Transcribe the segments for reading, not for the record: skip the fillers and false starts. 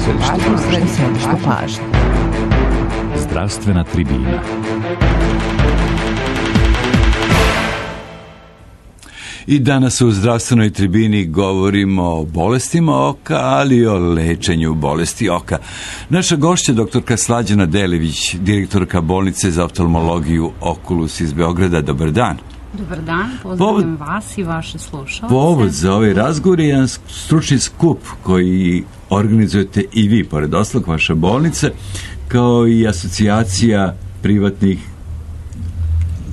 Središte pažnje. Zdravstvena tribina. I danas u zdravstvenoj tribini govorimo o bolestima oka, ali i o lečenju bolesti oka. Naša gošća, doktorka Slađana Delević, direktorka bolnice za oftalmologiju Oculus iz Beograda. Dobar dan. Dobar dan, pozdravljam vas i vaše slušalce. Povod za ovaj razgovor je jedan stručni skup koji organizujete i vi, pored ostalog vaša bolnica, kao i asocijacija privatnih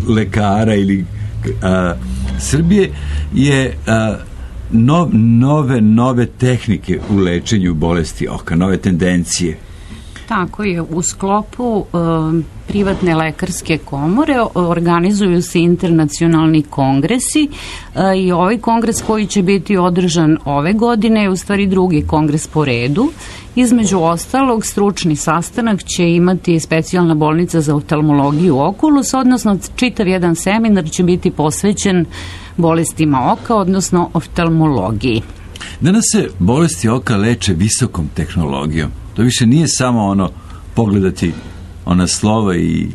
lekara ili Srbije, je nove tehnike u lečenju bolesti oka, nove tendencije. Tako je, u sklopu privatne lekarske komore organizuju se internacionalni kongresi i ovaj kongres koji će biti održan ove godine je u stvari drugi kongres po redu. Između ostalog, stručni sastanak će imati specijalna bolnica za oftalmologiju Oculus, odnosno čitav jedan seminar će biti posvećen bolestima oka, odnosno oftalmologiji. Danas se bolesti oka leče visokom tehnologijom. To više nije samo pogledati ona slova i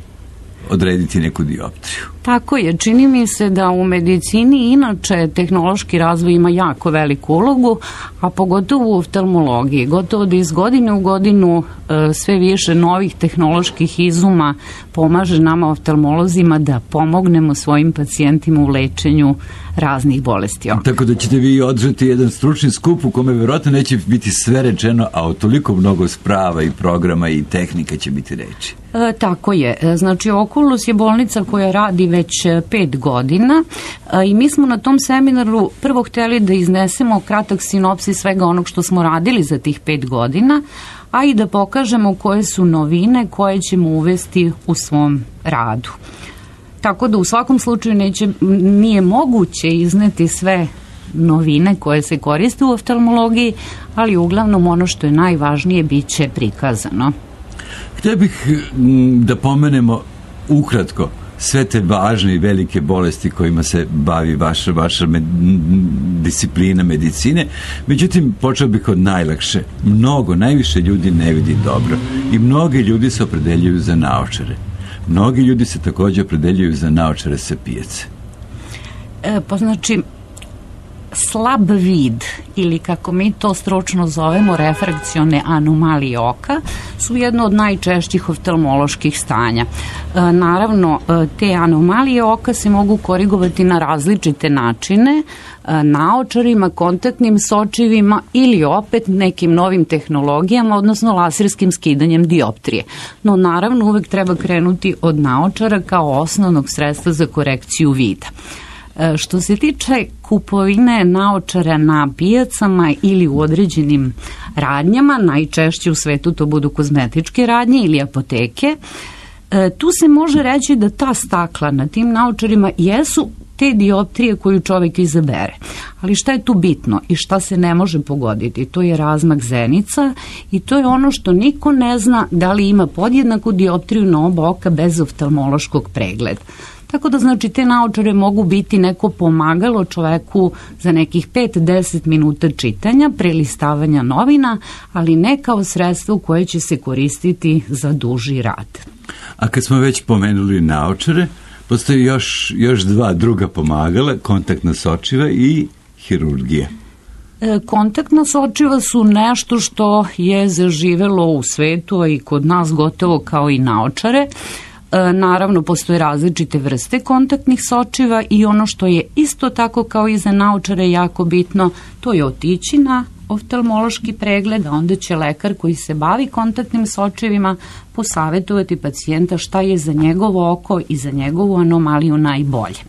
odrediti neku dioptriju. Tako je, čini mi se da u medicini inače tehnološki razvoj ima jako veliku ulogu, a pogotovo u oftalmologiji. Gotovo da iz godine u godinu sve više novih tehnoloških izuma pomaže nama oftalmolozima da pomognemo svojim pacijentima u lečenju raznih bolesti oka. Tako da ćete vi održati jedan stručni skup u kome verovatno neće biti sve rečeno, a o toliko mnogo sprava i programa i tehnika će biti reči. Tako je. Znači, Oculus je bolnica koja radi već 5 godina i mi smo na tom seminaru prvo hteli da iznesemo kratak sinopsis svega onog što smo radili za tih 5 godina, a i da pokažemo koje su novine koje ćemo uvesti u svom radu. Tako da u svakom slučaju nije moguće izneti sve novine koje se koriste u oftalmologiji, ali uglavnom ono što je najvažnije bit će prikazano. Htio bih da pomenemo ukratko sve te važne i velike bolesti kojima se bavi vaša disciplina medicine. Međutim, počeo bih od najlakše. Najviše ljudi ne vidi dobro i mnogi ljudi se opredeljuju za naočare. Mnogi ljudi se također opredeljuju za naočare sa pijace. Znači, slab vid ili kako mi to stručno zovemo refrakcione anomalije oka su jedno od najčešćih oftalmoloških stanja. Naravno, te anomalije oka se mogu korigovati na različite načine, naočarima, kontaktnim sočivima ili opet nekim novim tehnologijama, odnosno laserskim skidanjem dioptrije. No naravno uvek treba krenuti od naočara kao osnovnog sredstva za korekciju vida. Što se tiče kupovine naočara na pijacama ili u određenim radnjama, najčešće u svetu to budu kozmetičke radnje ili apoteke, tu se može reći da ta stakla na tim naočarima jesu te dioptrije koju čovjek izabere. Ali šta je tu bitno i šta se ne može pogoditi? To je razmak zenica i to je ono što niko ne zna da li ima podjednaku dioptriju na oba oka bez oftalmološkog pregleda. Tako da znači te naočare mogu biti neko pomagalo čoveku za nekih 5-10 minuta čitanja, prelistavanja novina, ali ne kao sredstvo koje će se koristiti za duži rad. A kad smo već pomenuli naočare, postoji još dva druga pomagala, kontaktna sočiva i hirurgija. Kontaktna sočiva su nešto što je zaživelo u svetu, a i kod nas gotovo kao i naočare. Naravno, postoje različite vrste kontaktnih sočiva i ono što je isto tako kao i za naočare jako bitno, to je otići na oftalmološki pregled, a onda će lekar koji se bavi kontaktnim sočivima posavjetovati pacijenta šta je za njegovo oko i za njegovu anomaliju najbolje.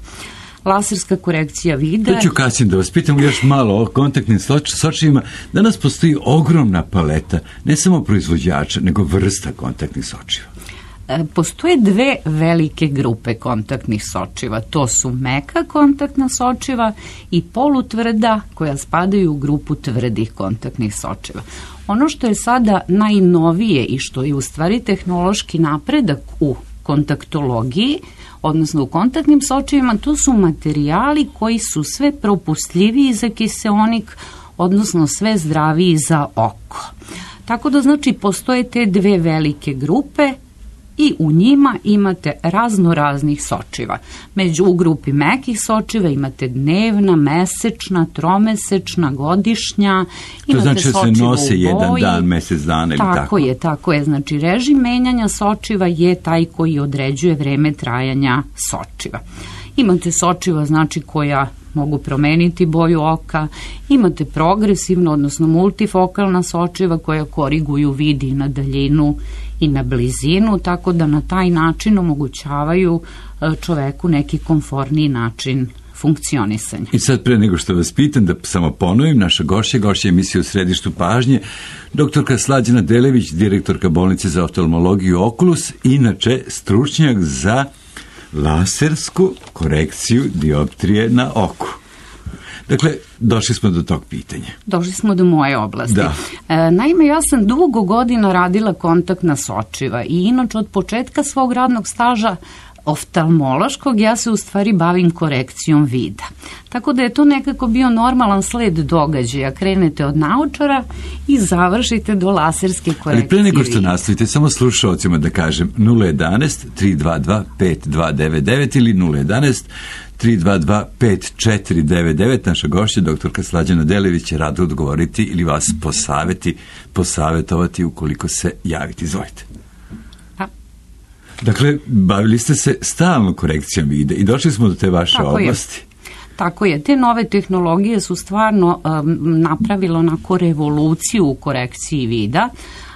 Laserska korekcija vida. To ću kasnije da vas pitam još malo o kontaktnim sočivima. Danas postoji ogromna paleta, ne samo proizvođača, nego vrsta kontaktnih sočiva. Postoje dve velike grupe kontaktnih sočiva. To su meka kontaktna sočiva i polutvrda koja spadaju u grupu tvrdih kontaktnih sočiva. Ono što je sada najnovije i što je u stvari tehnološki napredak u kontaktologiji, odnosno u kontaktnim sočivima, to su materijali koji su sve propustljiviji za kiseonik, odnosno sve zdraviji za oko. Tako da znači postoje te dve velike grupe i u njima imate razno raznih sočiva. U grupi mekih sočiva imate dnevna, mesečna, tromesečna, godišnja, to znači da se nose jedan dan, mesec dana ili tako? Tako je. Znači režim menjanja sočiva je taj koji određuje vreme trajanja sočiva. Imate sočiva znači koja mogu promeniti boju oka, imate progresivno, odnosno multifokalna sočiva koja koriguju vid i na daljinu i na blizinu, tako da na taj način omogućavaju čoveku neki komforniji način funkcionisanja. I sad pre nego što vas pitam, da samo ponovim, naša gošća emisije U središtu pažnje, doktorka Slađana Delević, direktorka bolnice za oftalmologiju Oculus, inače stručnjak za lasersku korekciju dioptrije na oku. Dakle, došli smo do tog pitanja. Došli smo do moje oblasti. Da. Naime, ja sam dugo godina radila kontaktna sočiva i inače od početka svog radnog staža oftalmološkog ja se u stvari bavim korekcijom vida. Tako da je to nekako bio normalan sled događaja. Krenete od naočara i završite do laserske korekcije. Ali pre nego što nastavite, samo slušalcima da kažem 011 322 5299 ili 011 322 5499. Naša gošća, doktorka Slađana Delević, će rado odgovoriti ili vas posavetovati ukoliko se javite. Izvolite. Dakle, bavili ste se stalno korekcijom vida i došli smo do te vaše oblasti. Tako je. Te nove tehnologije su stvarno napravile onako revoluciju u korekciji vida.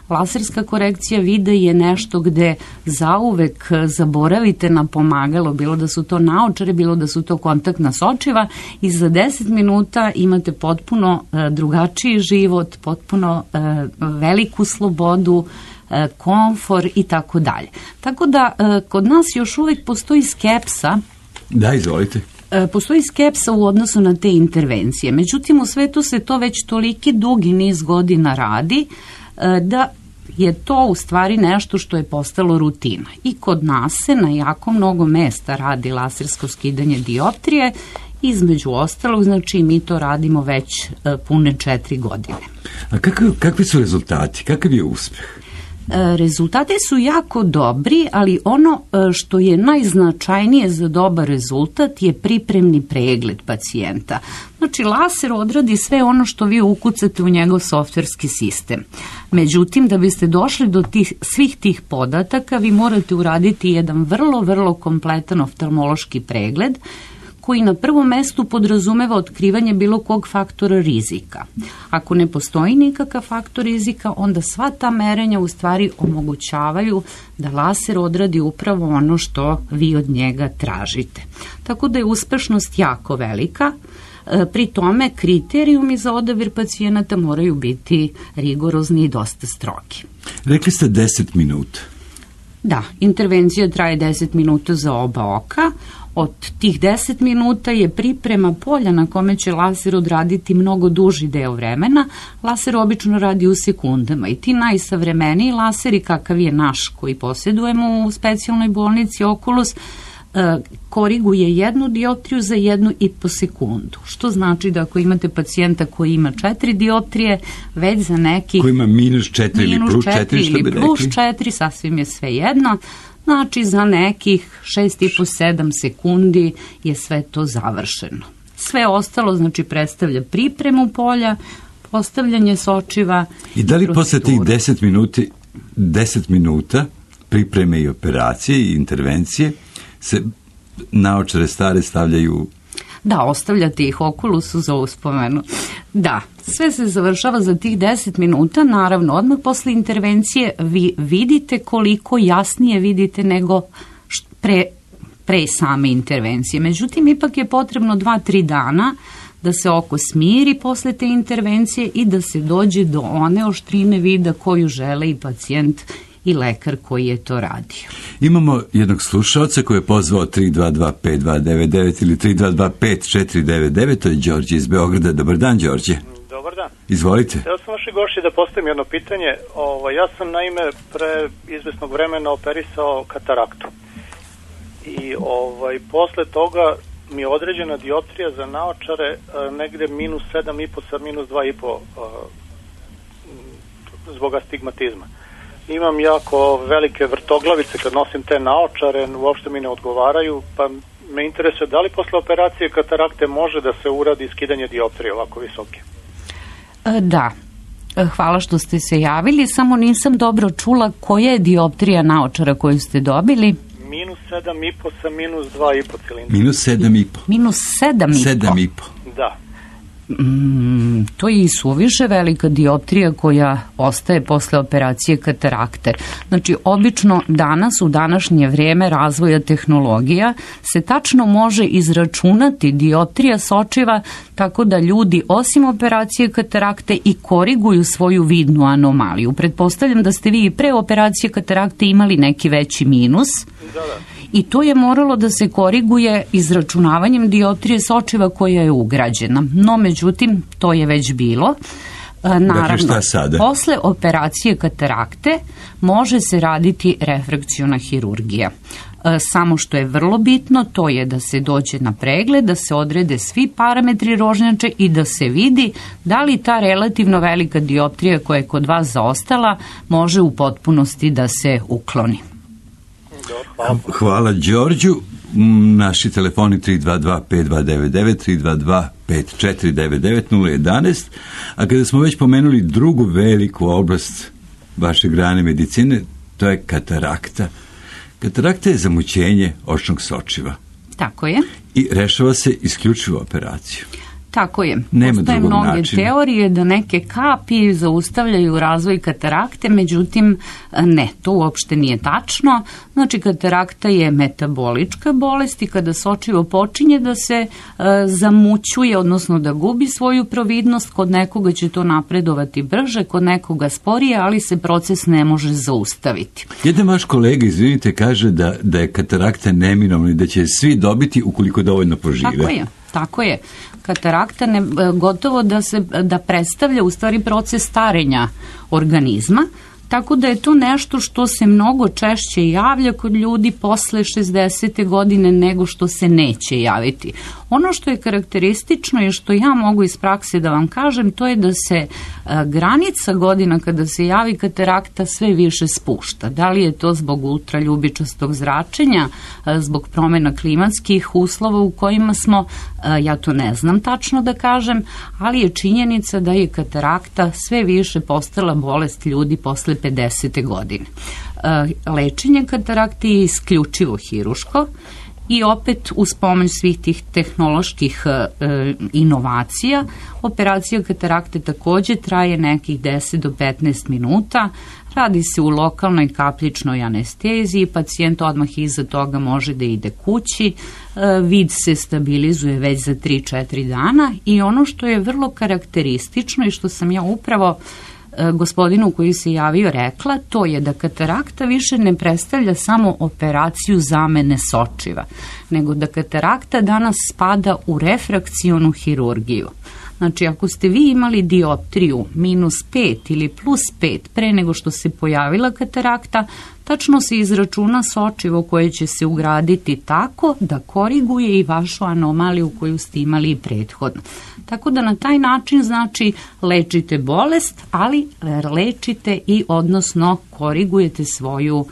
Laserska korekcija vida je nešto gde zauvek zaboravite na pomagalo, bilo da su to naočare, bilo da su to kontaktna sočiva, i za 10 minuta imate potpuno drugačiji život, potpuno veliku slobodu, komfor i tako dalje. Tako da kod nas još uvijek postoji skepsa. Da, izvolite. Postoji skepsa u odnosu na te intervencije. Međutim, u svetu se to već toliki dugi niz godina radi da je to u stvari nešto što je postalo rutina. I kod nas se na jako mnogo mesta radi lasersko skidanje dioptrije. Između ostalog, znači mi to radimo već pune 4 godine. A kakvi su rezultati? Kakav je uspeh? Rezultati su jako dobri, ali ono što je najznačajnije za dobar rezultat je pripremni pregled pacijenta. Znači, laser odradi sve ono što vi ukucate u njegov softverski sistem. Međutim, da biste došli do svih tih podataka, vi morate uraditi jedan vrlo, vrlo kompletan oftalmološki pregled, koji na prvom mestu podrazumeva otkrivanje bilo kog faktora rizika. Ako ne postoji nikakav faktor rizika, onda sva ta merenja u stvari omogućavaju da laser odradi upravo ono što vi od njega tražite. Tako da je uspešnost jako velika. Pri tome kriterijumi za odabir pacijenata moraju biti rigorozni i dosta strogi. Rekli ste 10 minuta. Da, intervencija traje 10 minuta za oba oka. Od tih 10 minuta je priprema polja na kome će laser odraditi mnogo duži deo vremena. Laser obično radi u sekundama i ti najsavremeniji laseri, kakav je naš koji posjedujemo u specijalnoj bolnici Oculus, koriguje jednu dioptriju za 1,5 sekundu. Što znači da ako imate pacijenta koji ima 4 dioptrije, već za nekih... Koji ima -4 ili +4, što bi rekli? +4, sasvim je sve jedno. Znači, za nekih 6,5-7 sekundi je sve to završeno. Sve ostalo, znači, predstavlja pripremu polja, postavljanje sočiva. I da li posle tih 10 minuta pripreme i operacije i intervencije se naočare stare stavljaju... Da, ostavljate ih Oculusu za uspomenu. Da, sve se završava za tih 10 minuta, naravno, odmah posle intervencije vi vidite koliko jasnije vidite nego pre same intervencije. Međutim, ipak je potrebno 2-3 dana da se oko smiri posle te intervencije i da se dođe do one oštrine vida koju žele i pacijent i lekar koji je to radio. Imamo jednog slušalca koji je pozvao 322-5299 ili 322-5499, to je Đorđe iz Beograda. Dobar dan, Đorđe. Dobar dan. Izvolite. Ja sam vaši gošći da postavim jedno pitanje. Ja sam naime pre izvesnog vremena operisao kataraktu. I posle toga mi je određena dioptrija za naočare negde -7,5 sa -2,5 zbog astigmatizma. Imam jako velike vrtoglavice kad nosim te naočare, uopšte mi ne odgovaraju, pa me interesuje da li posle operacije katarakte može da se uradi skidanje dioptrije ovako visoke? Da. Hvala što ste se javili, samo nisam dobro čula koja je dioptrija naočara koju ste dobili. Minus 7,5 sa minus 2,5 cilindra. Minus 7,5. Minus 7,5? 7,5. Da. To je i suviše velika dioptrija koja ostaje posle operacije katarakte. Znači, obično danas, u današnje vreme razvoja tehnologija, se tačno može izračunati dioptrija sočiva tako da ljudi, osim operacije katarakte, i koriguju svoju vidnu anomaliju. Pretpostavljam da ste vi i pre operacije katarakte imali neki veći minus. Da. I to je moralo da se koriguje izračunavanjem dioptrije sočiva koja je ugrađena. No, međutim, to je već bilo. Naravno, posle operacije katarakte može se raditi refrakciona hirurgija. Samo što je vrlo bitno, to je da se dođe na pregled, da se odrede svi parametri rožnjače i da se vidi da li ta relativno velika dioptrija koja je kod vas zaostala može u potpunosti da se ukloni. Hvala Đorđu. Naši telefoni 322-5299, 322-5499-011. A kada smo već pomenuli drugu veliku oblast vaše grane medicine, to je katarakta. Katarakta je zamućenje očnog sočiva. Tako je. I rešava se isključivo operacijom. Tako je. Nema Postoje drugog mnoge načina. teorije da neke kapi zaustavljaju razvoj katarakte, međutim ne, to uopšte nije tačno. Znači, katarakta je metabolička bolest i kada sočivo počinje da se zamućuje, odnosno da gubi svoju providnost, kod nekoga će to napredovati brže, kod nekoga sporije, ali se proces ne može zaustaviti. Jedan vaš kolega, izvinite, kaže da je katarakta neminovna i da će svi dobiti ukoliko dovoljno požive. Tako je. Katarakta gotovo da predstavlja u stvari proces starenja organizma, tako da je to nešto što se mnogo češće javlja kod ljudi posle 60. godine nego što se neće javiti. Ono što je karakteristično i što ja mogu iz prakse da vam kažem, to je da se granica godina kada se javi katarakta sve više spušta. Da li je to zbog ultraljubičastog zračenja, zbog promjena klimatskih uslova u kojima smo, ja to ne znam tačno da kažem, ali je činjenica da je katarakta sve više postala bolest ljudi posle 50. godine. Lečenje katarakte je isključivo hiruško i opet uz pomoć svih tih tehnoloških inovacija. Operacija katarakte takođe traje nekih 10 do 15 minuta. Radi se u lokalnoj kapljičnoj anesteziji, pacijent odmah iza toga može da ide kući, vid se stabilizuje već za 3-4 dana i ono što je vrlo karakteristično i što sam ja upravo gospodinu koji se javio rekla, to je da katarakta više ne predstavlja samo operaciju zamene sočiva, nego da katarakta danas spada u refrakcionu hirurgiju. Znači, ako ste vi imali dioptriju minus 5 ili plus 5 pre nego što se pojavila katarakta, tačno se izračuna sočivo koje će se ugraditi tako da koriguje i vašu anomaliju koju ste imali prethodno. Tako da na taj način, znači, lečite bolest, ali lečite i odnosno korigujete svoju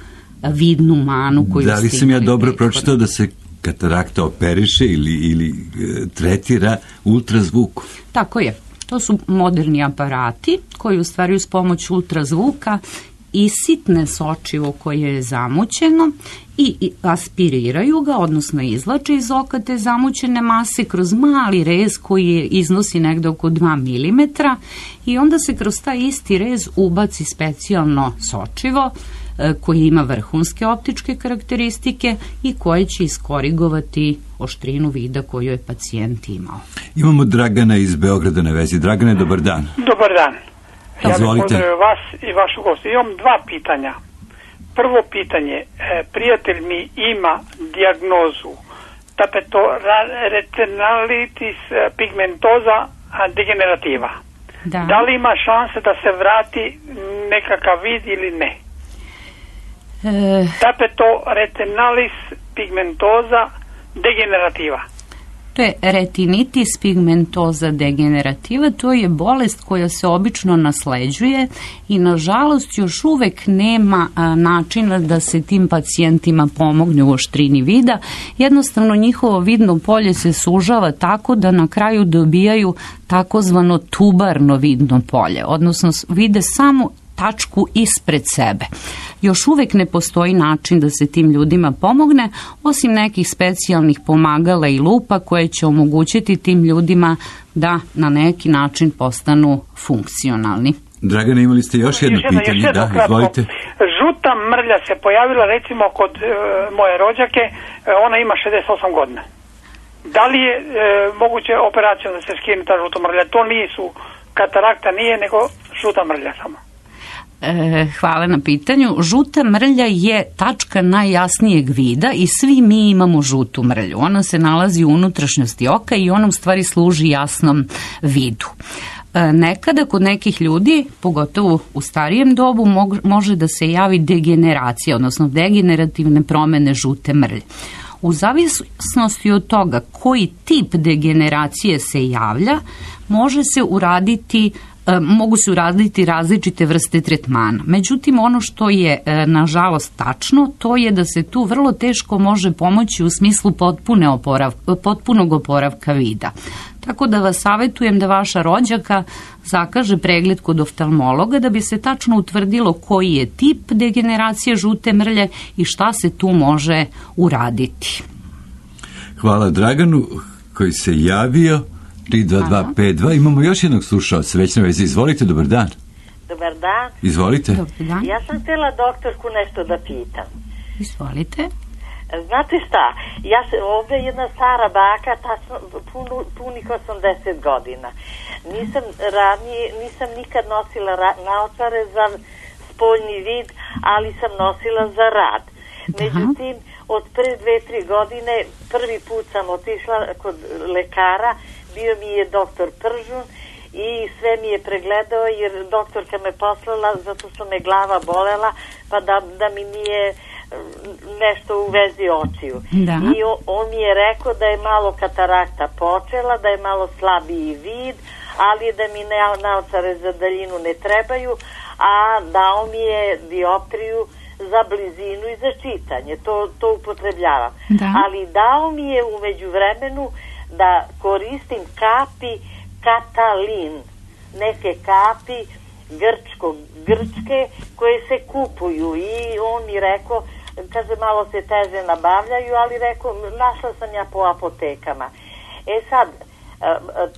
vidnu manu koju ste imali. Da li sam ja dobro pročitao da se katarakta operiše ili tretira ultrazvukom? Tako je. To su moderni aparati koji u stvari uz pomoć ultrazvuka isitne sočivo koje je zamućeno i aspiriraju ga, odnosno izvlače iz oka te zamućene mase kroz mali rez koji iznosi negde oko 2 mm i onda se kroz taj isti rez ubaci specijalno sočivo koji ima vrhunske optičke karakteristike i koje će iskorigovati oštrinu vida koju je pacijent imao. Imamo Dragana iz Beograda na vezi. Dragane, dobar dan. Dobar dan. Ja bih pozdravio vas i vašu gostu. Imam 2 pitanja. Prvo pitanje, prijatelj mi ima dijagnozu tapetorretinitis pigmentosa degenerativa. Da li ima šanse da se vrati nekakav vid ili ne? Tapetorretinitis pigmentosa degenerativa. To je retinitis pigmentosa degenerativa, to je bolest koja se obično nasleđuje i nažalost još uvek nema načina da se tim pacijentima pomogne u oštrini vida. Jednostavno njihovo vidno polje se sužava tako da na kraju dobijaju takozvano tubarno vidno polje, odnosno vide samo tačku ispred sebe. Još uvek ne postoji način da se tim ljudima pomogne, osim nekih specijalnih pomagala i lupa koje će omogućiti tim ljudima da na neki način postanu funkcionalni. Dragana, imali ste još jedno pitanje? Da, izvolite. Žuta mrlja se pojavila recimo kod moje rođake, ona ima 68 godina. Da li je moguće operacijom da se skine ta žuta mrlja? To nisu katarakta, nije, nego žuta mrlja samo. Hvala na pitanju. Žuta mrlja je tačka najjasnijeg vida i svi mi imamo žutu mrlju. Ona se nalazi u unutrašnjosti oka i ona u stvari služi jasnom vidu. Nekada kod nekih ljudi, pogotovo u starijem dobu, može da se javi degeneracija, odnosno degenerativne promene žute mrlje. U zavisnosti od toga koji tip degeneracije se javlja, mogu se uraditi različite vrste tretmana. Međutim, ono što je nažalost tačno, to je da se tu vrlo teško može pomoći u smislu potpunog oporavka vida. Tako da vas savjetujem da vaša rođaka zakaže pregled kod oftalmologa da bi se tačno utvrdilo koji je tip degeneracije žute mrlje i šta se tu može uraditi. Hvala Draganu koji se javio. 32252. Imamo još jednog slušalca, već na vezi. Izvolite, dobar dan. Dobar dan. Izvolite. Dan. Ja sam htjela doktorku nešto da pitam. Izvolite. Znate šta, ovdje je jedna stara baka, punih 80 godina. Nisam nikad nosila naočare za spoljni vid, ali sam nosila za rad. Međutim, od pre 2-3 godine prvi put sam otišla kod lekara, bio mi je doktor Pržun i sve mi je pregledao jer doktorka me poslala zato što me glava bolela pa da mi nije nešto u vezi očiju. Da. I on mi je rekao da je malo katarakta počela, da je malo slabiji vid, ali da mi naočare za daljinu ne trebaju, a dao mi je dioptriju za blizinu i za čitanje. To upotrebljavam. Da. Ali dao mi je u međuvremenu da koristim kapi Katalin, neke kapi grčke koje se kupuju i on mi rekao, kaže malo se teže nabavljaju, ali rekao našla sam ja po apotekama. Sad,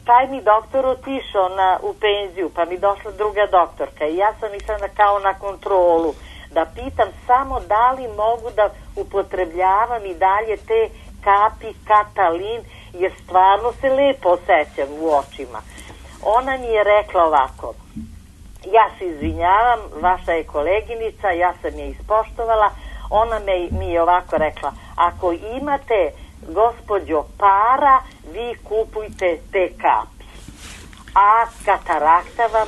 taj mi doktor otišao u penziju, pa mi došla druga doktorka i ja sam išla kao na kontrolu da pitam samo da li mogu da upotrebljavam i dalje te kapi Katalin, jer stvarno se lepo osjećam u očima. Ona mi je rekla ovako, ja se izvinjavam, vaša je koleginica, ja sam je ispoštovala, ona mi je ovako rekla, ako imate, gospođo, para, vi kupujte te kapi, a katarakta vam,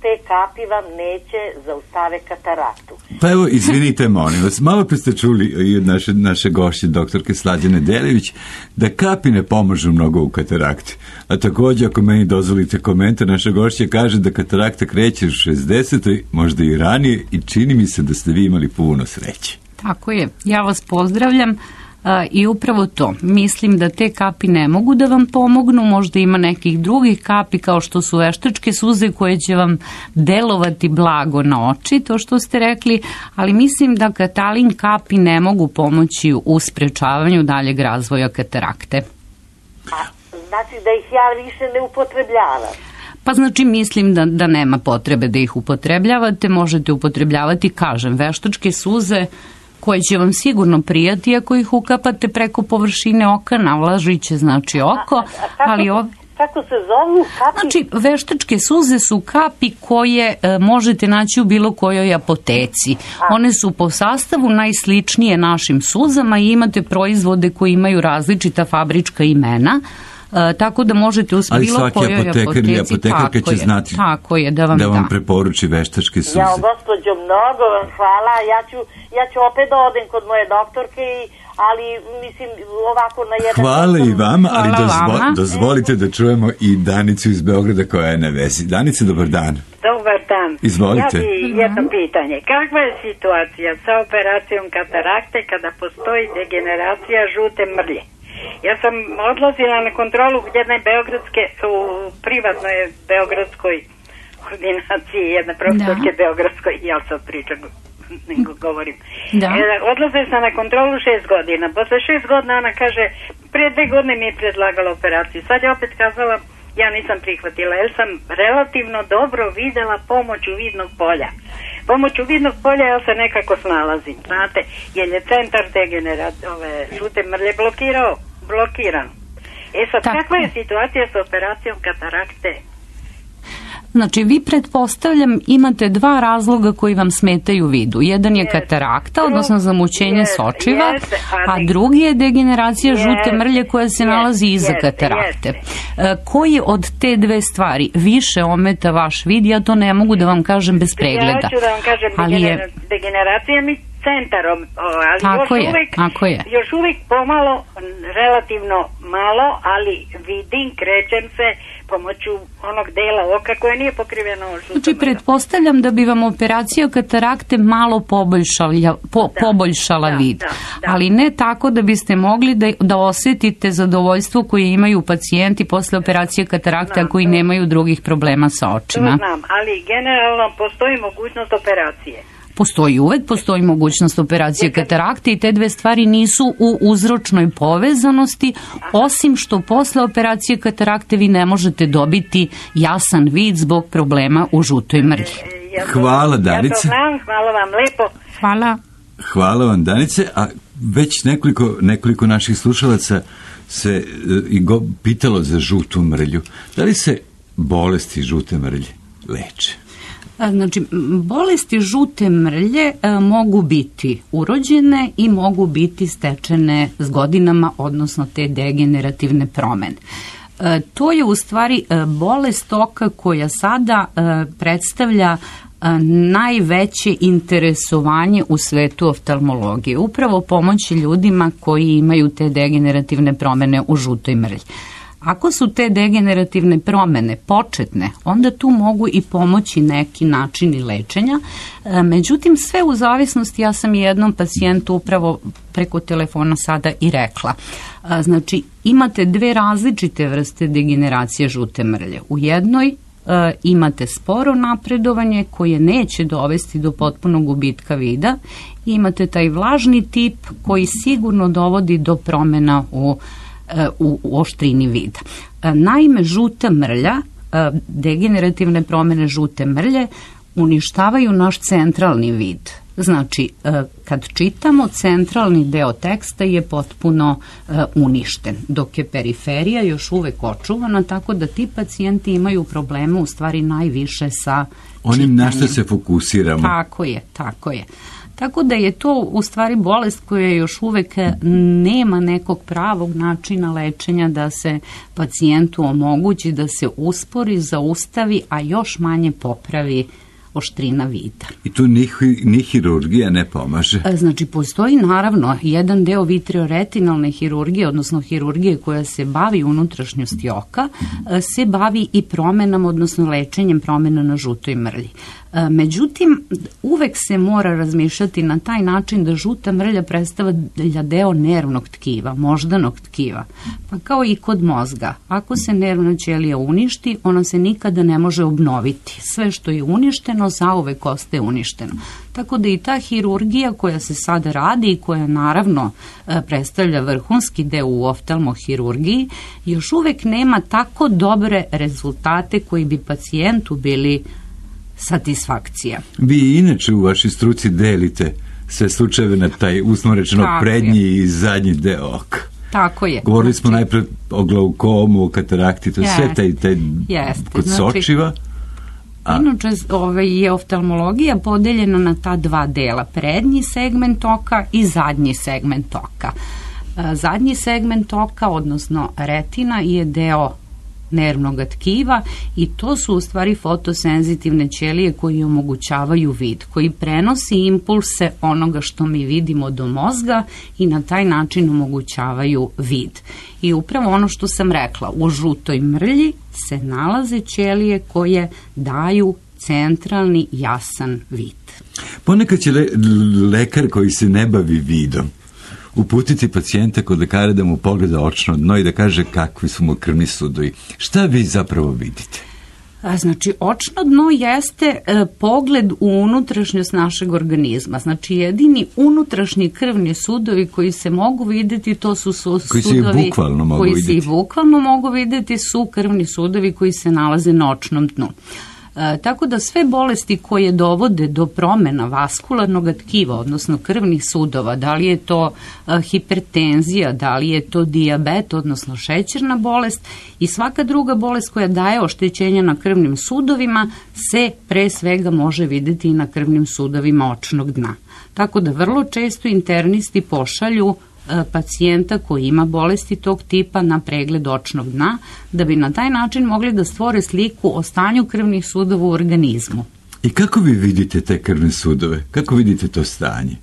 te kapi vam neće zaustave kataraktu. Pa evo, izvinite, molim vas, malo pre ste čuli i od naše gošće, doktorke Slađane Delivić, da kapi ne pomažu mnogo u katarakti. A također, ako meni dozvolite komentar, naša gošća kaže da katarakta kreće u 60. možda i ranije i čini mi se da ste vi imali puno sreće. Tako je, ja vas pozdravljam. I upravo to, mislim da te kapi ne mogu da vam pomognu, možda ima nekih drugih kapi kao što su veštačke suze koje će vam delovati blago na oči, to što ste rekli, ali mislim da Katalin kapi ne mogu pomoći u sprečavanju daljeg razvoja katarakte. Znači da ih ja više ne upotrebljavam? Pa znači mislim da nema potrebe da ih upotrebljavate, možete upotrebljavati, kažem, veštačke suze koje će vam sigurno prijati ako ih ukapate preko površine oka, navlažiće znači oko, ali kako se zovu kapi? Znači, veštačke suze su kapi koje možete naći u bilo kojoj apoteci. One su po sastavu najsličnije našim suzama i imate proizvode koji imaju različita fabrička imena. Tako da možete u bilo kojoj apoteci, apotekarka će znati da vam preporuči veštačke suze. Ja, gospođo, mnogo vam hvala. Ja ću opet da odem kod moje doktorke i ali mislim ovako na jedan... Hvala i vama, ali dozvolite da čujemo i Danicu iz Beograda koja je na vezi. Danica, dobar dan. Dobar dan. Izvolite. Ja bi jedno pitanje. Kakva je situacija sa operacijom katarakte kada postoji degeneracija žute mrlje? Ja sam odlazila na kontrolu jedne beogradske, u privatnoj beogradskoj ordinaciji, jedne profesorke beogradskoj, ja sad pričam, nego govorim. Da. Odlazila sam na kontrolu 6 godina. Posle 6 godina ona kaže, prije 2 godine mi je predlagala operaciju. Sad je opet kazala, ja nisam prihvatila, jer sam relativno dobro videla pomoću vidnog polja. Pomoću vidnog polja ja se nekako snalazim, znate, jer je centar žute mrlje blokiran. Sad, kakva je situacija sa operacijom katarakte? Znači, vi pretpostavljam imate 2 razloga koji vam smetaju vidu. Jedan je katarakta, odnosno zamućenje sočiva, a drugi je degeneracija žute mrlje koja se nalazi iza katarakte. Koji od te 2 stvari više ometa vaš vid, ja to ne mogu da vam kažem bez pregleda. Ja ću da vam kažem, degeneracija mi centarom, ali još uvijek pomalo, relativno malo, ali vidim, krećem se pomoću onog dela oka koje nije pokriveno žutom. Znači, pretpostavljam da bi vam operacija katarakte malo poboljšala vid, ali ne tako da biste mogli da osjetite zadovoljstvo koje imaju pacijenti posle operacije katarakte, a koji nemaju drugih problema sa očima. To znam, ali generalno postoji mogućnost operacije. Postoji mogućnost operacije katarakte i te 2 stvari nisu u uzročnoj povezanosti, osim što posle operacije katarakte vi ne možete dobiti jasan vid zbog problema u žutoj mrlji. Hvala, Danice. Ja to znam, hvala vam lepo. Hvala vam, Danice, a već nekoliko naših slušalaca se pitalo za žutu mrlju. Da li se bolesti žute mrlje leče? Znači, bolesti žute mrlje mogu biti urođene i mogu biti stečene s godinama, odnosno te degenerativne promene. To je u stvari bolest oka koja sada predstavlja najveće interesovanje u svetu oftalmologije. Upravo pomoći ljudima koji imaju te degenerativne promene u žutoj mrlji. Ako su te degenerativne promene početne, onda tu mogu i pomoći neki načini lečenja. Međutim, sve u zavisnosti, ja sam jednom pacijentu upravo preko telefona sada i rekla. Znači, imate 2 različite vrste degeneracije žute mrlje. U jednoj imate sporo napredovanje koje neće dovesti do potpunog gubitka vida. Imate taj vlažni tip koji sigurno dovodi do promjena u oštrini vida. Naime, žuta mrlja, degenerativne promjene žute mrlje uništavaju naš centralni vid. Znači, kad čitamo, centralni deo teksta je potpuno uništen, dok je periferija još uvek očuvana, tako da ti pacijenti imaju probleme u stvari najviše sa onim na što se fokusiramo. Tako je. Tako da je to u stvari bolest koja još uvek nema nekog pravog načina lečenja da se pacijentu omogući da se uspori, zaustavi, a još manje popravi oštrina vida. I tu ni hirurgija ne pomaže? Znači, postoji naravno jedan deo vitreoretinalne hirurgije, odnosno hirurgije koja se bavi unutrašnjosti oka, se bavi i promenama, odnosno lečenjem promena na žutoj mrlji. Međutim, uvek se mora razmišljati na taj način da žuta mrlja predstavlja deo nervnog tkiva, moždanog tkiva. Pa kao i kod mozga, ako se nervna ćelija uništi, ona se nikada ne može obnoviti. Sve što je uništeno, zauvek ostaje uništeno. Tako da i ta hirurgija koja se sada radi i koja naravno predstavlja vrhunski deo u oftalmohirurgiji, još uvek nema tako dobre rezultate koji bi pacijentu bili satisfakcija. Vi inače u vašoj struci delite sve slučajeve na taj uslovno rečeno prednji i zadnji deo oka. Tako je. Govorili smo najpred o glaukomu, o katarakti, to je sve taj kod sočiva. Inače je oftalmologija podeljena na ta 2 dela, prednji segment oka i zadnji segment oka. Zadnji segment oka, odnosno retina, je deo nervnog tkiva i to su u stvari fotosenzitivne ćelije koji omogućavaju vid, koji prenosi impulse onoga što mi vidimo do mozga i na taj način omogućavaju vid. I upravo ono što sam rekla, u žutoj mrlji se nalaze ćelije koje daju centralni jasan vid. Ponekad će lekar koji se ne bavi vidom uputiti pacijenta kod lekara da mu pogleda očno dno i da kaže kakvi su mu krvni sudovi. Šta vi zapravo vidite? Znači, očno dno jeste pogled u unutrašnjost našeg organizma. Znači, jedini unutrašnji krvni sudovi koji se mogu videti, to su sudovi koji se i bukvalno mogu videti, su krvni sudovi koji se nalaze na očnom dnu. Tako da sve bolesti koje dovode do promjena vaskularnog tkiva, odnosno krvnih sudova, da li je to hipertenzija, da li je to dijabet, odnosno šećerna bolest i svaka druga bolest koja daje oštećenja na krvnim sudovima se pre svega može vidjeti i na krvnim sudovima očnog dna. Tako da vrlo često internisti pošalju pacijenta koji ima bolesti tog tipa na pregled očnog dna, da bi na taj način mogli da stvore sliku o stanju krvnih sudova u organizmu. I kako vi vidite te krvne sudove? Kako vidite to stanje?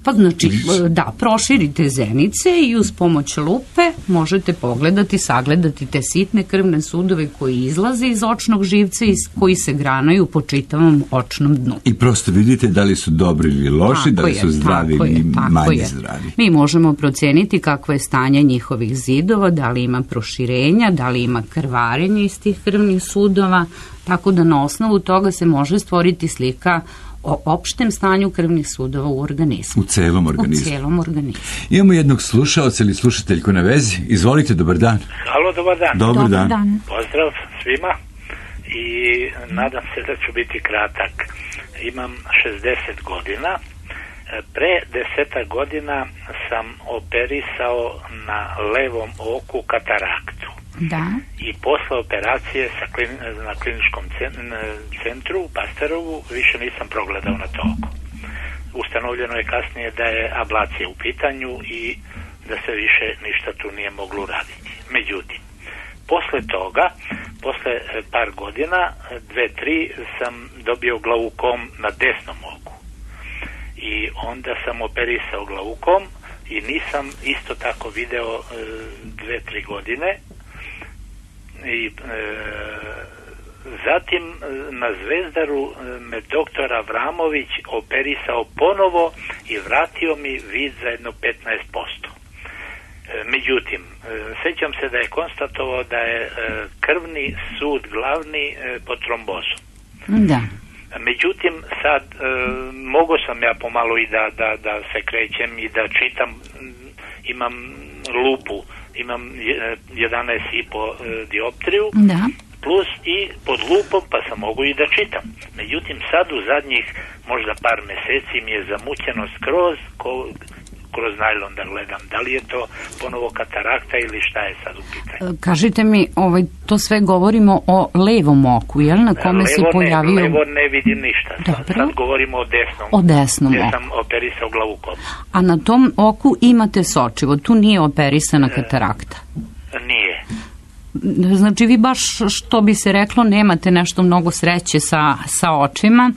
Pa znači, da, proširite zenice i uz pomoć lupe možete pogledati, sagledati te sitne krvne sudove koji izlaze iz očnog živca i koji se granaju po čitavom očnom dnu. I prosto vidite da li su dobri ili loši, da li su zdravi ili manje zdravi. Mi možemo proceniti kakvo je stanje njihovih zidova, da li ima proširenja, da li ima krvarenja iz tih krvnih sudova, tako da na osnovu toga se može stvoriti slika o opštem stanju krvnih sudova u organizmu. U celom organizmu. U celom organizmu. Imamo jednog slušaoca ili slušateljku na vezi. Izvolite, dobar dan. Halo, dobar dan. Dobar dan. Pozdrav svima i nadam se da ću biti kratak. Imam 60 godina. Pre 10 godina sam operisao na levom oku kataraktu. Da. I posle operacije na kliničkom centru u Pasterovu više nisam progledao na to oko. Ustanovljeno je kasnije da je ablacija u pitanju i da se više ništa tu nije moglo uraditi. Međutim, posle toga, posle par godina, 2-3, sam dobio glaukom na desnom oku. I onda sam operisao glaukom i nisam isto tako video 2-3 godine. I zatim na Zvezdaru me doktor Avramović operisao ponovo i vratio mi vid za jedno 15%. Međutim, sećam se da je konstatovao da je krvni sud glavni pod trombozom. Da. Međutim, sad mogao sam ja pomalo i da se krećem i da čitam, imam lupu, imam 11,5 dioptriju, da, plus i pod lupom pa sam mogu i da čitam. Međutim, sad u zadnjih možda par meseci mi je zamućeno skroz kroz najlon da gledam. Da li je to ponovo katarakta ili šta je sad u pitanju? Kažite mi, to sve govorimo o levom oku, jel? Na kome se pojavio... Levo ne vidim ništa. Sad govorimo o desnom. O desnom oku. Gdje sam operisao glavukom. A na tom oku imate sočivo, tu nije operisana katarakta? Nije. Znači vi baš, što bi se reklo, nemate nešto mnogo sreće sa očima,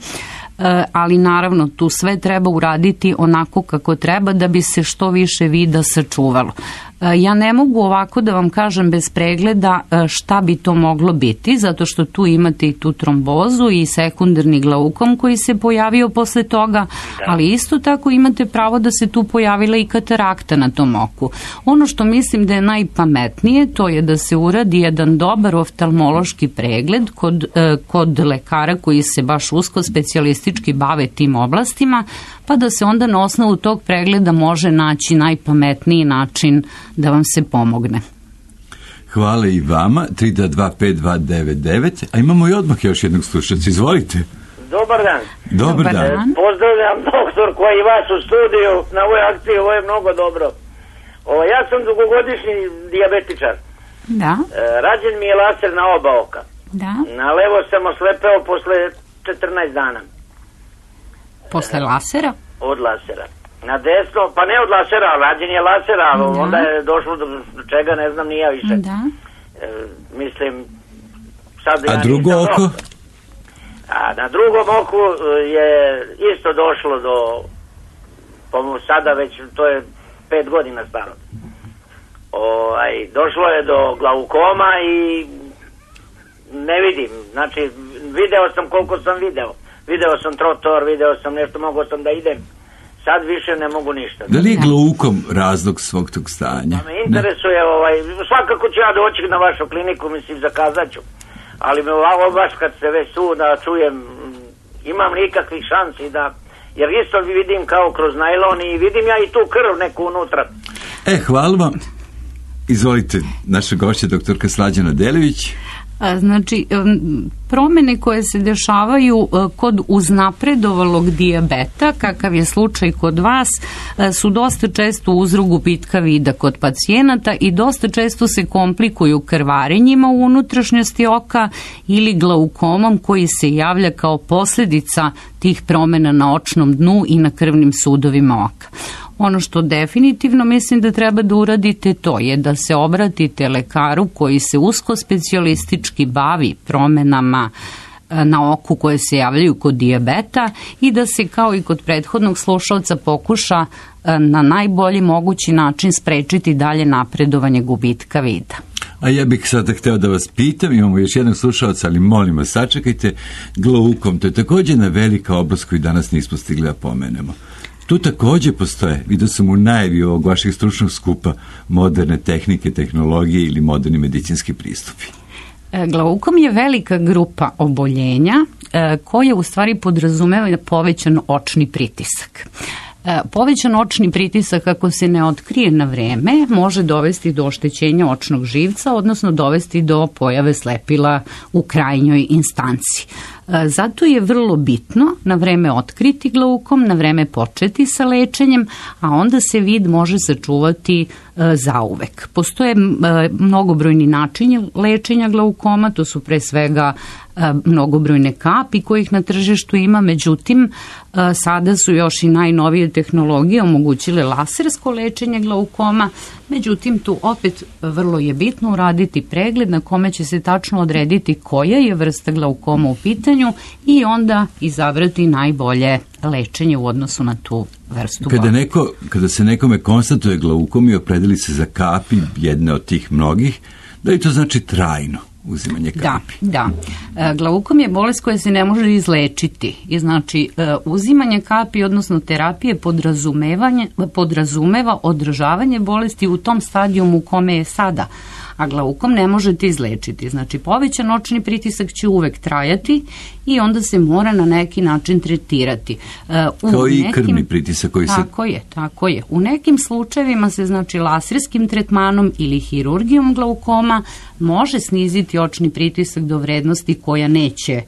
ali naravno tu sve treba uraditi onako kako treba da bi se što više vida sačuvalo. Ja ne mogu ovako da vam kažem bez pregleda šta bi to moglo biti, zato što tu imate i tu trombozu i sekundarni glaukom koji se pojavio posle toga, ali isto tako imate pravo da se tu pojavila i katarakta na tom oku. Ono što mislim da je najpametnije, to je da se uradi jedan dobar oftalmološki pregled kod lekara koji se baš usko specijalistički bave tim oblastima, pa da se onda na osnovu tog pregleda može naći najpametniji način da vam se pomogne. Hvala i vama, 3225299, a imamo i odmah još jednog slušaca, izvolite. Dobar dan. Dobar dan. Pozdravljam doktor koji je vas u studiju na ovoj akciji, ovo je mnogo dobro. Ja sam dugogodišnji dijabetičar. Da. Rađen mi je laser na oba oka. Da. Na levo sam oslepeo posle 14 dana. Posle lasera? Od lasera. Na desno, pa ne od lasera, rađen je lasera, onda je došlo do čega, ne znam ni ja više. Da. Mislim, sad A drugo oko? A na drugom oku je isto došlo do, sada već, to je 5 godina staro. Došlo je do glaukoma i ne vidim, znači video sam koliko sam video sam trotor, video sam nešto, mogao sam da idem, sad više ne mogu ništa. Da li je glaukom razlog svog tog stanja? Pa me interesuje, svakako ću ja doći na vašu kliniku, mislim, zakazat ću, ali me ovako baš kad se već tu da čujem, imam nikakvih šansi da, jer isto vidim kao kroz najlon i vidim ja i tu krv neku unutra. Hvala vam. Izvolite, naša gošća, doktorka Slađana Delević. Znači, promene koje se dešavaju kod uznapredovalog dijabeta, kakav je slučaj kod vas, su dosta često uzrok gubitka vida kod pacijenata i dosta često se komplikuju krvarenjima u unutrašnjosti oka ili glaukomom koji se javlja kao posljedica tih promena na očnom dnu i na krvnim sudovima oka. Ono što definitivno mislim da treba da uradite, to je da se obratite lekaru koji se usko specijalistički bavi promenama na oku koje se javljaju kod dijabeta i da se kao i kod prethodnog slušalca pokuša na najbolji mogući način sprečiti dalje napredovanje gubitka vida. A ja bih sada hteo da vas pitam, imamo još jednog slušalca, ali molim vas, sačekajte, glaukom, to je također jedna velika oblast koju danas nismo stigli da pomenemo. Tu također postoje, vidio sam u najavi ovog vašeg stručnog skupa, moderne tehnike, tehnologije ili moderni medicinski pristupi. Glaukom je velika grupa oboljenja koja u stvari podrazumeva povećan očni pritisak. Povećan očni pritisak, ako se ne otkrije na vreme, može dovesti do oštećenja očnog živca, odnosno dovesti do pojave slepila u krajnjoj instanci. Zato je vrlo bitno na vreme otkriti glaukom, na vreme početi sa lečenjem, a onda se vid može sačuvati zauvek. Postoje mnogobrojni načini lečenja glaukoma, to su pre svega mnogobrojne kapi kojih na tržištu ima, međutim sada su još i najnovije tehnologije omogućile lasersko lečenje glaukoma, međutim tu opet vrlo je bitno uraditi pregled na kome će se tačno odrediti koja je vrsta glaukoma u pitanju i onda izabrati najbolje lečenje u odnosu na tu vrstu bolesti. Kada se nekome konstatuje glaukom i opredeli se za kapi, jedne od tih mnogih, da li to znači trajno uzimanje kapi? Da. Glaukom je bolest koja se ne može izlečiti i znači uzimanje kapi, odnosno terapije podrazumeva održavanje bolesti u tom stadijumu u kome je sada, a glaukom ne možete izlečiti. Znači povećan očni pritisak će uvek trajati i onda se mora na neki način tretirati. Kao i krvni pritisak koji se... Tako je. U nekim slučajevima se znači laserskim tretmanom ili hirurgijom glaukoma može sniziti očni pritisak do vrednosti koja neće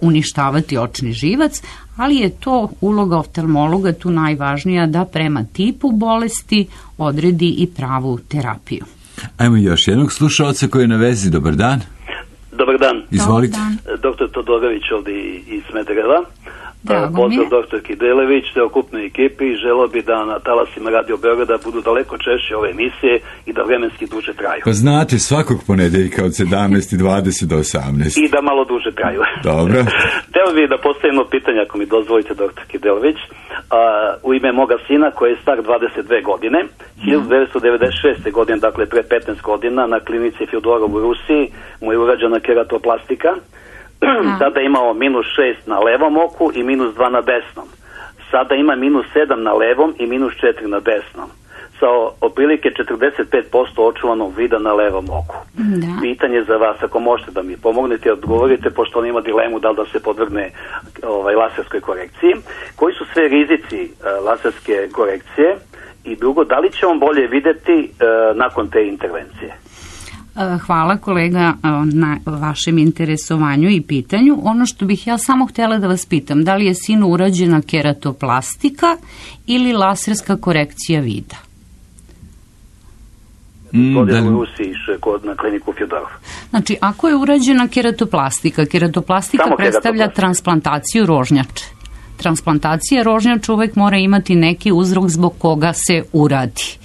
uništavati očni živac, ali je to uloga oftalmologa tu najvažnija da prema tipu bolesti odredi i pravu terapiju. Ajmo još jednog slušalca koji je na vezi. Dobar dan. Dobar dan. Izvolite. Doktor Todorović ovdje iz Smedereva. Pozdrav doktorki Delević, celokupnoj ekipi i želeo bi da na talasima Radio Beograda budu daleko češće ove emisije i da vremenski duže traju. Pa znate, svakog ponedeljka od 17:20 do 18. I da malo duže traju. Dobro. Teo bih da postavimo pitanje, ako mi dozvolite, doktorki Delević. U ime moga sina koji je star 22 godine, 1996. godine, dakle pre 15 godina, na klinici Fjodorov u Rusiji mu je urađena keratoplastika. Sada imao -6 na levom oku i -2 na desnom. Sada ima -7 na levom i -4 na desnom. Sa otprilike 45% očuvanog vida na levom oku. Da. Pitanje za vas, ako možete da mi pomognete i odgovorite, pošto on ima dilemu da li da se podvrgne laserskoj korekciji. Koji su sve rizici laserske korekcije? I drugo, da li će on bolje videti nakon te intervencije? Hvala kolega na vašem interesovanju i pitanju. Ono što bih ja samo htjela da vas pitam, da li je sinu urađena keratoplastika ili laserska korekcija vida? U Rusiji na kliniku Fjodorov. Znači, ako je urađena keratoplastika predstavlja transplantaciju rožnjače. Transplantacija rožnjača uvek mora imati neki uzrok zbog koga se uradi.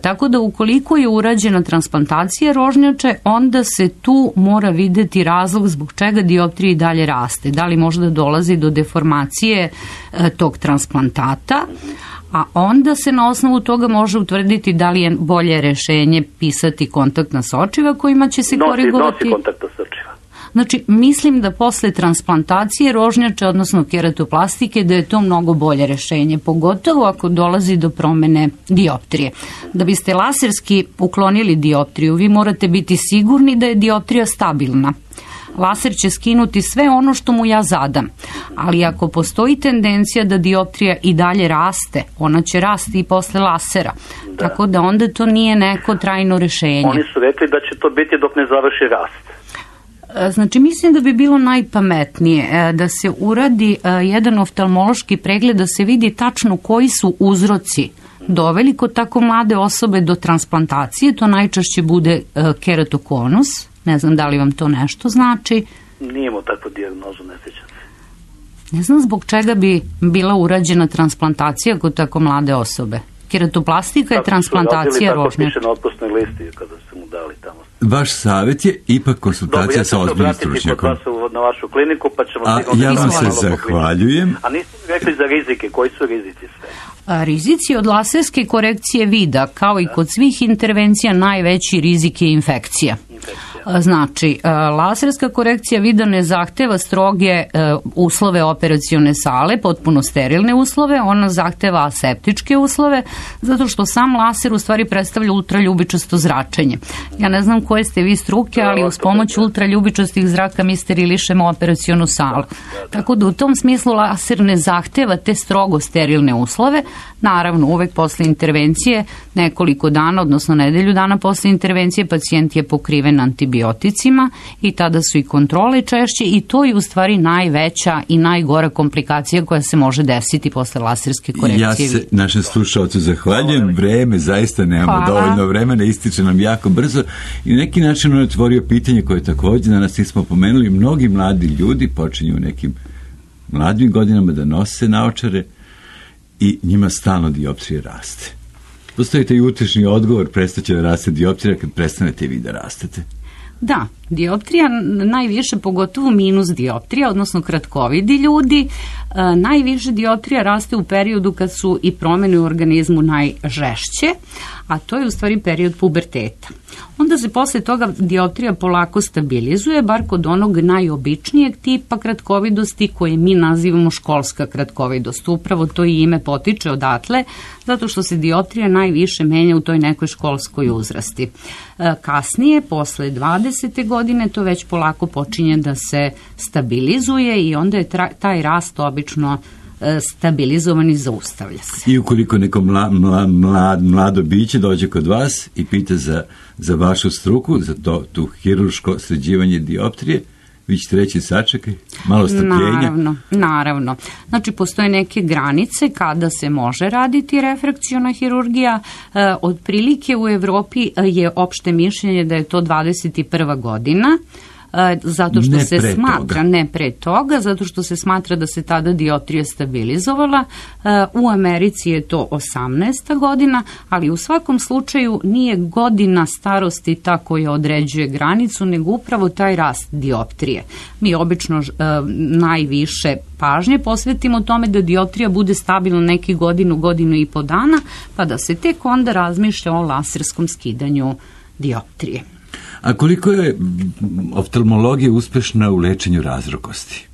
Tako da ukoliko je urađena transplantacija rožnjače, onda se tu mora videti razlog zbog čega dioptrija i dalje raste. Da li možda dolazi do deformacije tog transplantata, a onda se na osnovu toga može utvrditi da li je bolje rešenje pisati kontaktna sočiva kojima će se korigovati. Nosi kontaktna sočiva. Znači, mislim da posle transplantacije rožnjače, odnosno keratoplastike, da je to mnogo bolje rešenje, pogotovo ako dolazi do promene dioptrije. Da biste laserski uklonili dioptriju, vi morate biti sigurni da je dioptrija stabilna. Laser će skinuti sve ono što mu ja zadam, ali ako postoji tendencija da dioptrija i dalje raste, ona će rasti i posle lasera, tako da onda to nije neko trajno rešenje. Oni su rekli da će to biti dok ne završi rast. Znači, mislim da bi bilo najpametnije da se uradi jedan oftalmološki pregled, da se vidi tačno koji su uzroci doveli kod tako mlade osobe do transplantacije. To najčešće bude keratokonus. Ne znam da li vam to nešto znači. Nijemo takvu dijagnozu, ne sjećam se. Ne znam zbog čega bi bila urađena transplantacija kod tako mlade osobe. Keratoplastika je transplantacija rožnjača. Tako piše na otpusnoj listi kada su mu dali tamo. Vaš savjet je ipak konsultacija sa ozbiljnim stručnjakom. Na vašu kliniku, pa ćemo... Ja vam se zahvaljujem. A niste mi rekli za rizike, koji su rizici sve? Rizici od laserske korekcije vida, kao i kod svih intervencija, najveći rizik je infekcija. Znači, laserska korekcija vida ne zahteva stroge uslove operacione sale, potpuno sterilne uslove, ona zahteva aseptičke uslove, zato što sam laser u stvari predstavlja ultraljubičasto zračenje. Ja ne znam koje ste vi struke, ali uz pomoć ultraljubičastih zraka mi sterilišemo operacionu salu. Tako da u tom smislu laser ne zahteva te strogo sterilne uslove. Naravno, uvek posle intervencije, nekoliko dana, odnosno nedelju dana posle intervencije, pacijent je pokriven antibioticima i tada su i kontrole češće i to je u stvari najveća i najgora komplikacija koja se može desiti posle laserske korekcije. Ja se našem slušalcu zahvaljujem. Vreme, zaista nemamo dovoljno vremena, ističe nam jako brzo i na neki način on je otvorio pitanje koje također danas nismo pomenuli. Mnogi mladi ljudi počinju u nekim mladim godinama da nose naočare i njima stalno dioptrije raste. Postavite i utešni odgovor, prestaće da raste dioptrija kad prestanete vi da rastete. Da, dioptrija najviše, pogotovo minus dioptrija, odnosno kratkovidi ljudi, najviše dioptrija raste u periodu kad su i promjene u organizmu najžešće, a to je u stvari period puberteta. Onda se posle toga dioptrija polako stabilizuje, bar kod onog najobičnijeg tipa kratkovidosti koje mi nazivamo školska kratkovidost. Upravo to i ime potiče odatle, zato što se dioptrija najviše menja u toj nekoj školskoj uzrasti. Kasnije, posle 20. godine, to već polako počinje da se stabilizuje i onda je taj rast obično stabilizovan i zaustavlja se. I ukoliko neko mlado biće dođe kod vas i pita za vašu struku, za tu hirurško sređivanje dioptrije, vi ćete reći sačekaj, malo strpljenja. Naravno. Znači, postoje neke granice kada se može raditi refrakciona hirurgija. Otprilike u Evropi je opšte mišljenje da je to 21. godina, zato što se smatra, ne pre toga, zato što se smatra da se tada dioptrija stabilizovala. U Americi je to 18. godina, ali u svakom slučaju nije godina starosti ta koja određuje granicu, nego upravo taj rast dioptrije. Mi obično najviše pažnje posvetimo tome da dioptrija bude stabilna neki godinu i po dana, pa da se tek onda razmišlja o laserskom skidanju dioptrije. A koliko je oftalmologija uspešna u lečenju razrokosti?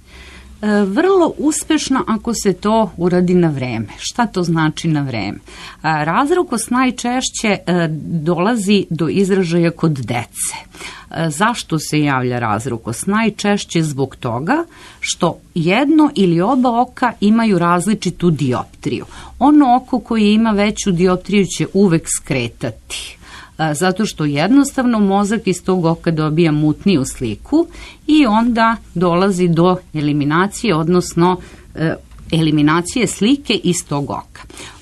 Vrlo uspešno ako se to uradi na vreme. Šta to znači na vreme? Razrokost najčešće dolazi do izražaja kod dece. Zašto se javlja razrokost? Najčešće zbog toga što jedno ili oba oka imaju različitu dioptriju. Ono oko koje ima veću dioptriju će uvek skretati, zato što jednostavno mozak iz tog oka dobija mutniju sliku i onda dolazi do eliminacije, odnosno eliminacije slike iz tog oka.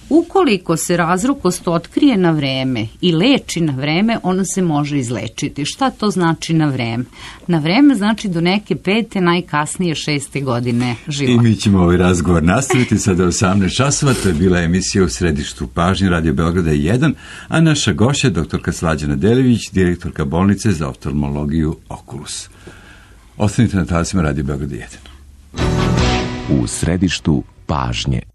Ukoliko se razrukost otkrije na vreme i leči na vreme, ona se može izlečiti. Šta to znači na vreme? Na vreme znači do neke 5. najkasnije 6. godine života. I mi ćemo ovaj razgovor nastaviti sada u 18 časova. To je bila emisija U središtu pažnje Radio Beograda 1, a naša gošća je doktorka Slađana Delivić, direktorka bolnice za oftalmologiju Oculus. Ostanite na talasima Radio Beograda 1. U središtu pažnje.